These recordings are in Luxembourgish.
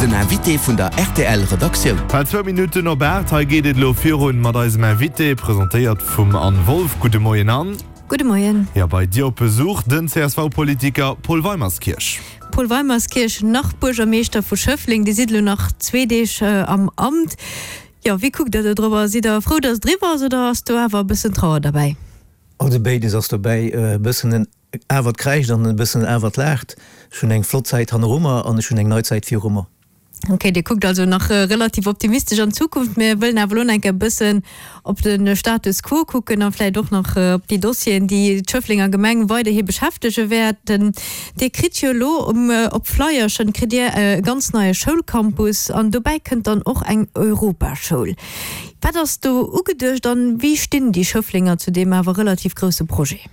Den Invité vun der rtl Redaktioun. Bal zwou Minutten op 8, hei geet et elo virun mat eisem Invité, presentéiert vum Anne Wolff. Gudde Moien Anne. Gudde Moien. Jo, bei dir op Besuch den CSV-Politiker Paul Weimerskirch. Paul Weimerskirch, nach Buergermeeschter vu Schëffleng, Dir sidd elo nach zwee Deeg am Amt. Jo, wéi kuckt der do drop? Sidd der frou, datt et eriwwer ass oder ass do awer e bëssen Trauer derbäi? Also béides ass dobäi, e bëssen en Awer et kräischt an e bëssen awer et laacht. Ech hunn eng flott Zäit hanneru mer an ech hunn eng nei Zäit viru mer. Ok, Dir kuckt also nach relativ optimistesch an d'Zukunft. Mir wëllen awer elo nach eng Kéier e bëssen op de Status quo kucken a vläicht och nach op déi Dossieren, déi d'Schëfflenger Gemeng weiderhi beschäftege wäerten. Dir kritt jo elo op Flyerchen kritt Dir e ganz neie Schoulcampus an dobäi kënnt dann och eng Europaschoul. Wat ass do ugeduecht an wéi stinn déi Schëfflenger zu deem awer relativ grousse Projet?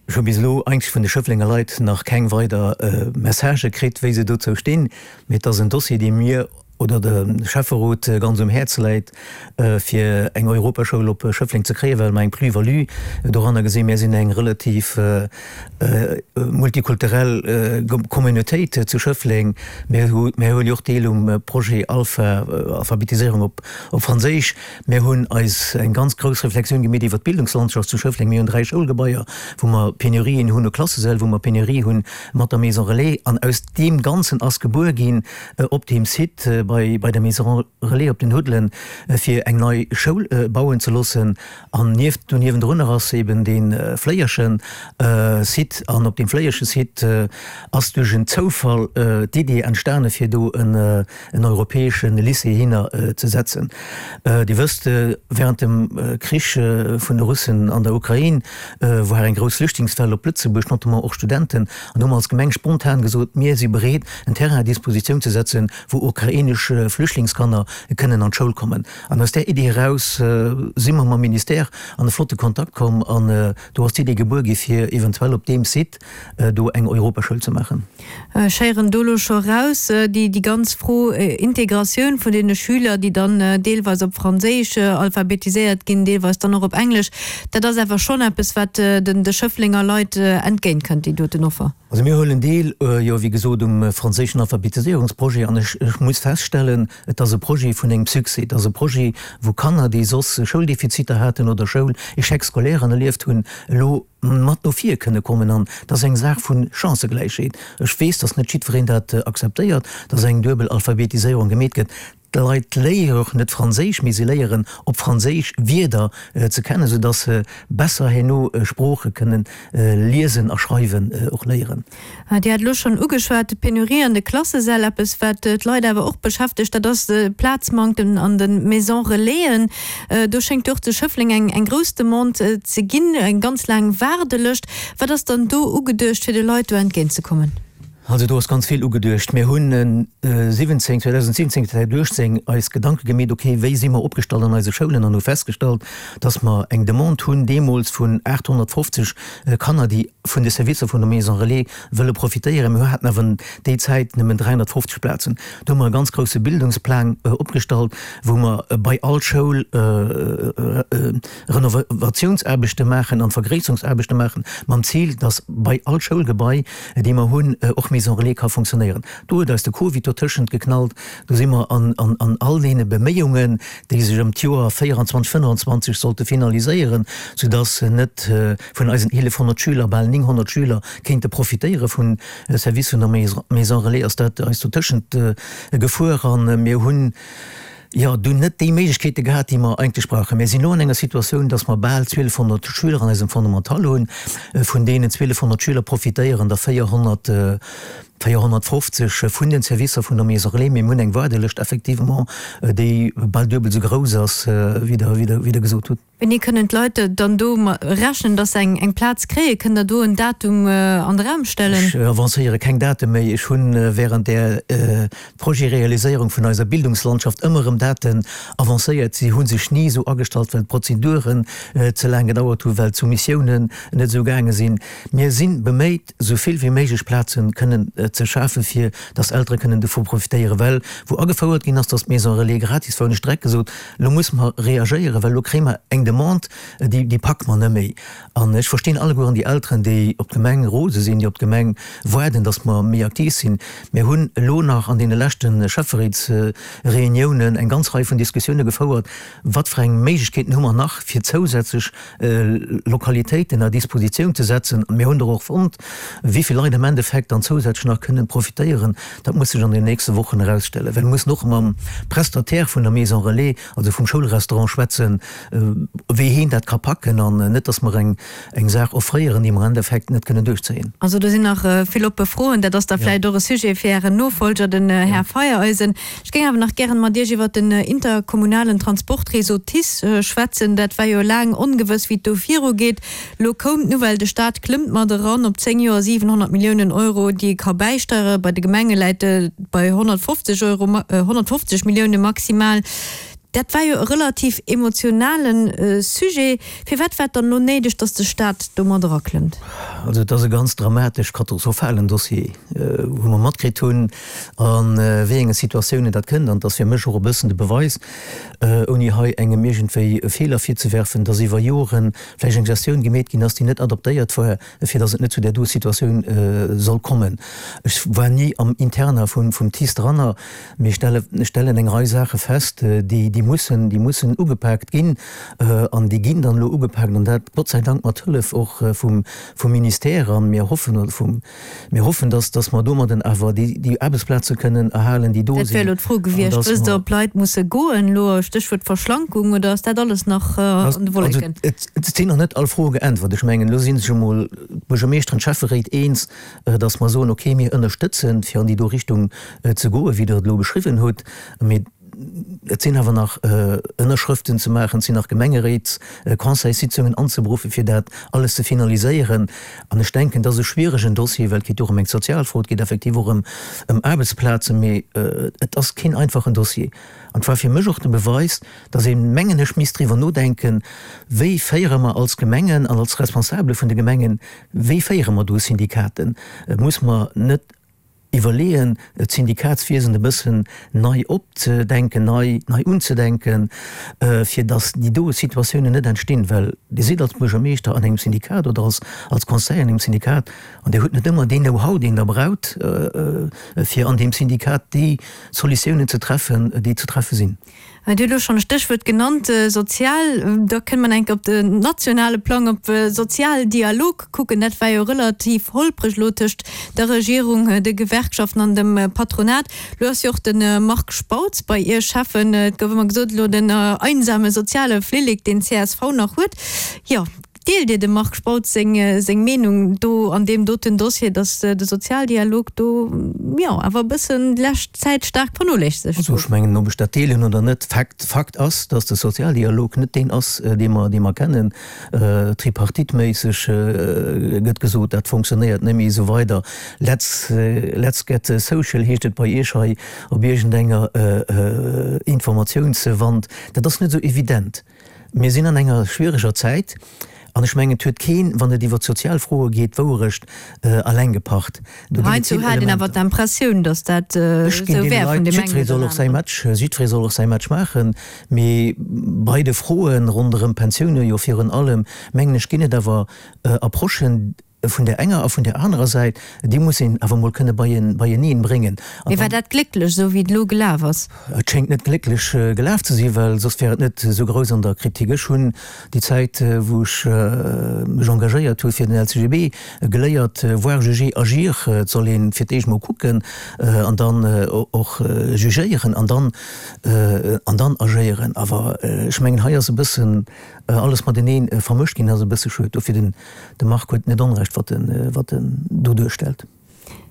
Ech hu bis elo eigentlech vun de Schëfflenger Leit nach keng weider Messagë kritt, wéi se dozou stinn. Mee et ass en Dossier, dee mir oder dem Schäfferot ganz um Häerz läit, fir eng Europaschoul op Schëffleng ze kréien, well mer eng Plus-value doranner gesinn. Mir sinn eng relativ multikulturell Communautéit zu Schëffleng. Mir huele jo och Deel um Projet Alpha, Alphabetiséierung op Franséisch. Mir hunn eis eng ganz grouss Reflexioun gemeet iwwert d'Bildungslandschaft zu Schëffleng. Mir hunn 3 Schoulgebaier, wou mer Penurien hunn u Klassesäll, wou mer Penurie hunn mat der Maison Relais. An aus deem Ganzen ass gebuer ginn op deem Site bei bei der Maison Relais op den Huddelen, fir eng nei Schoul bauen ze loossen. An nieft, do niewendrunner ass eben dee Fléierchen Site. An op deem Fléierche Site ass duerch en Zoufall d'Idee entstane fir do en en europäesche Lycée hinner ze setzen. Dir wësst, während dem Krich vun de Russen an der Ukrain war eng grouss Flüchtlingswell op Lëtzebuerg, notamment och Studenten, an do hu mer als Gemeng spontan gesot, mir si bereet, en Terrain à disposition ze setzen, wou ukrainesch Flüchtlingskanner kënnen an d'Schoul kommen. An aus där Iddi eraus si mer mam Ministère an e flotte Kontakt komm an do ass d'Iddi gebuer gi fir eventuell op deem Site do eng Europaschoul ze maachen. Ech héieren do elo scho eraus, déi ganz Fro Integratioun vun deene Schüler, déi dann deelweis op Franséisch alphabetiséiert ginn, deelweis dann och op Englesch, dat ass awer schonn eppes, wat de Schëfflenger Leit entgéintkënnt, déi doten Offer. Also mir huelen deel, jo, wéi gesot, um franséischen Alphabetiséierungsprojet an ech muss feststellen, et ass e Projet vun engem Succès. Et ass e Projet, wou Kanner, déi soss Schouldefiziter haten oder Schoul-Échec-scolaires erlieft hunn, elo mat no vir kënne kommen an dat ass eng Saach vu Chancëgläichheet. Ech weess, datt net jiddwereen dat akzeptéiert, datt eng duebel Alphabetiséierung gemeet gëtt. D'Leit léiere och net Franséisch, mee se léieren op Franséisch Wierder ze kennen, soudatt se besser herno Sprooche kënnen liesen a schreiwen och léieren. Dir hat elo schonn ugeschwat, d'Penurie an de Klassesäll. Eppes, wat d'Leit awer och beschäftegt, dat ass de Plazmanktem an de Maisons Relaisen. Do schéngt jo och zu Schëffleng eng grouss Demande ze ginn, eng ganz laang Waardelëscht. Wat ass dann do ugeduecht, fir de Leit do entgéintzekommen? Also do ass ganz vill ugeduecht. Mir hunn 17, 2017, 2018 eis Gedanke gemeet, okay, wéi si mer opgestallt an eise Schoulen an hu festgestallt, dass mer eng Demande hunn deemools vun 850 Kanner, déi vun de Servicer vun der Maison Relais wëlle profitéieren. Mir haten awer déi Zäit nëmmen 350 Plazen. Do hu mer e ganz grousse Bildungsplang opgestallt, wou mer bei all Schoul Renovatiounsaarbechte maachen an Vergréisserungsaarbechte maachen, mam Zil, dass bei all Schoulgebai, déi mer hunn, och Maison Relais ka funktionéieren. Do huet eis de Covid dotëschent geknallt. Do si mer an all deene Beméiungen, déi sech ëm d'Joer 24, 25 sollte finaliséieren, soudass net vun eisen 1.100 Schüler bal 900 Schüler kéinte profitéiere vun Service vun der Maison Relais, ass dat eis dotëschent gefuer a mir hunn, jo, dunn net déi Méiglechkeete gehat, déi mer eigentlech brauchen. Mir sinn elo an enger Situatioun, dass mer bal 1.200 Schüler an eisem Fondamental hunn. Vun deenen 1.200 Schüler profitéieren der 400, 450 vun den Servicer vun der Maison Relais. Mir hunn eng Waardelëscht effectivement, déi bal duebel esou grouss ass, wéi Der gesot hutt. Wéini kënnen d'Leit dann do rechnen, dass se eng Plaz kréien? Kënnt Der do en Datum an de Raum stellen? Ech avancéiere keng Date méi. Ech hu während där Projetrealiséierung vun eiser Bildungslandschaft ëmmer erëm Daten avancéiert. Si hu sech ni esou agestallt, well d'Prozeduren ze laang gedauert hunn, well d'Soumissiounen net esou gaange sinn. Mir si beméit, esou vill wéi méiglech Plazen kënnen ze schafen, fir dass Eltere kënnen dovu profitéieren. Well wou agefouert ginn ass, dass d'Maison Relais gratis war, hunn ech direkt gesot, elo musse mer reagéieren, well elo kréie mer eng. eng Demande, déi, déi packe mer net méi. An ech verstinn allegueren déi Elteren, déi op d'Gemeng rose sinn, déi op d'Gemeng waarden, dass mer méi aktiv sinn. Mir hunn elo nach an deene leschte Schäfferéitsreuniounen eng ganz Rei vun Diskussioune gefouert, wat fir eng Méiglechkeeten hu mer nach, fir zousätzlech Lokalitéiten à Dispositioun ze setzen. Mir hunn der och fonnt. Wéi vill Leit am Endeffekt dann zousätzlech nach kënnen profitéieren, dat muss sech an den nächste Wochen erausstellen, well mir mussen och mam Prestataire vun der Maison Relais, also vum Schoulrestaurant schwätzen, wéi heen dat ka packen an net, dass mer eng eng Saach offréieren, déi mer am Endeffekt net kënnen duerchzéien. Also do sinn nach vill oppe Froen. Dat ass da vläicht och e Sujet fir Ären Nofolger, den Här Feiereisen. Ech géing awer nach gären mat Iech iwwert den interkommunalen Transportréseau TICE schwätzen. Dat war jo laang ongewëss, wéi et do virugeet. Lo koum d'Nouvelle, de Staat klëmmt mat eran op 10 Joer 700 Milliounen Euro, déi e ka bäisteieren. Bei de Gemenge läit et bei 150 Euro, 150 Millioune maximal. Dat war jo e relativ emotionale Sujet. Firwat war et dann elo néideg, datt de Staat do mat eraklëmmt? Also et ass e ganz dramatesch, katastrophalen Dossier, wou mer matkritt hunn, a wéi enge Situatiounen dat kënnt. An et ass fir mech och e bëssen de Beweis, ouni hei engem iergendwéi e Feeler virzewerfen, datt iwwer Joren vläicht eng Gestioun gemeet ginn ass, déi net adaptéiert war, fir datt et net zu där do Situatioun soll kommen. Ech war ni am Interna vum TICE dranner, mee ech stellen eng Rei Saache fest, déi déi mussen, déi mussen ugepaakt ginn an déi ginn dann elo ugepaakt, an dat Gott sei Dank mat Hëllef och vum Ministère. A mir hoffen, oder vum Mir hoffen, dass, dass mer domadden awer déi, déi Aarbechtsplaze kënnen erhalen, déi do Dat wär sinn. elo d'Fro gewiescht. Wësst Der, ob Leit musse goen elo, Stéchwuert Verschlankung, oder ass dat alles nach an de Wolleken? Also, et, et sinn nach net all Froe geäntwert. Ech mengen, elo si sech emol d'Buergermeeschteren, d'Schäfferéit eens, dass mer soen, okay, mir ënnerstëtzen, fir an déi do Richtung ze goen, wéi Der et elo beschriwwen hutt. Mee Et sinn awer nach Ënnerschrëften ze maachen, et sinn nach Gemengeréits-, Conseilssitzungen anzeberuffen, fir dat alles ze finaliséieren. An ech denken, et ass e schwieregen Dossier, well et geet och ëm eng sozial Fro, et geet effektiv och ëm Aarbechtsplazen, mee et ass keen einfachen Dossier. An et war fir mech och de Beweis, dass een, mengen ech, misst driwwer nodenken, Wéi féiere mer als Gemengen an als Responsabele vun de Gemengen, wéi féiere mer do Syndikaten? Muss mer net Iwwerleeën, d'Syndikatswiesen e bëssen nei opzedenken, nei, nei unzedenken, fir datt déi doe Situatiounen net entstinn. Well Dir sidd als Buergermeeschter an engem Syndikat oder als, als Conseiller an engem Syndikat an Dir hutt net ëmmer deen Know-how, deen Der braucht, fir an deem Syndikat déi Solutiounen ze treffen, déi ze treffe sinn. Dir hutt elo schonn e Stéchwuert genannt, sozial. Da kënne mer enk op den nationale Plang, op Sozialdialog kucken. Dat war jo relativ holpreg elo tëscht der Regierung, de Gewerkschaften an dem Patronat. Elo ass jo och de Marc Spautz bei Iech Schäffen. Et gouf ëmmer gesot, elo den einsame soziale Flillek, deen csv nach huet. Jo, Deelt Dir dem Marc Spautz seng Meenung do an deem doten Dossier, datt de Sozialdialog do, jo, awer e bëssen déi lescht Zäit staark vernoléissegt Also gouf? ech mengen, ob ech dat deelen oder net, Fakt, Fakt ass, datt de Sozialdialog net deen ass, dee mer, dee mer kennen. Tripartite-méisseg gëtt gesot, dat fonctionnéiert net méi esou weider. Let's, let's get social heescht et bei Iech hei op iergendenger Informatiounswand. Dat ass net esou evident. Mir sinn an enger schwiereger Zäit an ech mengen, et huet keen, wann et iwwert sozial Froe geet, d'Wouerecht eleng gepacht. Do ginn et Heiansdo vill hat een awer Elementer. d'Impressioun, datt dat Ech ginn esou deene wär Leit, vun deem engen jiddweree oder soll och säi aneren. Match, jiddweree soll och säi Match maachen, mee bei de Froe ronderëm d'Pensioune jo virun allem, mengen ech, ginn et awer Approchen, Vun där enger a vun där anerer Säit, déi muss een awer emol kënne beieneen bréngen. Mee war dat glécklech, esou wéi et elo gelaf ass? Et schéngt net glécklech gelaf ze sinn, well soss wär et net esou grouss an der Kritik. Ech hunn déi Zäit, wou ech mech engagéiert hu fir den LCGB, geléiert, voir, juger, agir. Et soll ee fir d'éischt mol kucken an dann och jugéieren an dann an dann agéieren. Awer ech mengen, hei ass e bëssen alles matenee vermëscht ginn. Dat ass e bësse schued. Dofir den De Marc huet net Onrecht, wat en, wat en do duerstellt.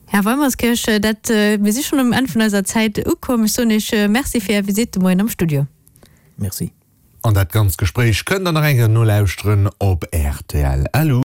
Här Weimerskirch, dat, mir si schonn um Enn vun eiser Zäit ukomm. Ech soen Iech Merci fir Är Visitt de Moien am Studio. Merci. An dat ganzt Gespréich kënnt der nach eng Kéier nolauschteren op rtl.